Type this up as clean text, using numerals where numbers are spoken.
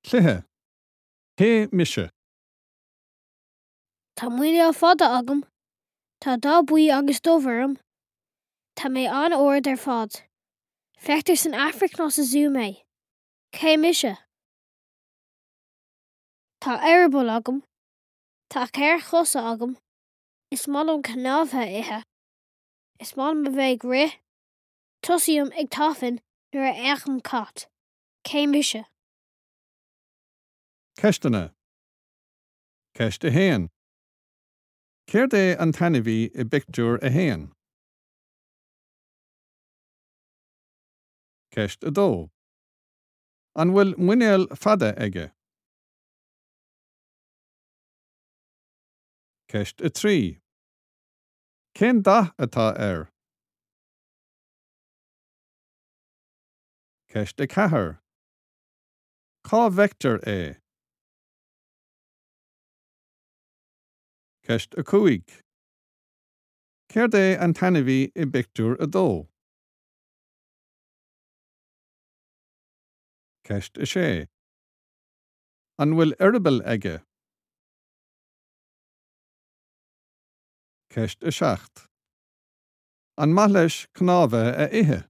Cluiche, Cé mise? Tá muineál fada agam. Tá dath buí agus dubh orm. Tá mé an-ard ar fad. Feictear san Afraic nó sa zú mé. Cé mise? Tá eireaball agam. Tá cheithre chosa agam. Is maith liom cnámha a ithe. Is maith liom a bheith ag rith. Tosaím ag tafann nuair a fheicim cat. Cé mise? Ceisteanna. Ceist 1. Céard é an t-ainmhí i bpictiúr 1? Ceist 2. An bhfuil muinéal fada aige? Ceist 3. Cén dath atá air? Ceist 4. Cá bhfeictear é? Ceist 5. Céard é an t-ainmhí i bpictiúr 2? Ceist 6. An bhfuil eireaball aige? Ceist 7. An maith leis cnámha a ithe?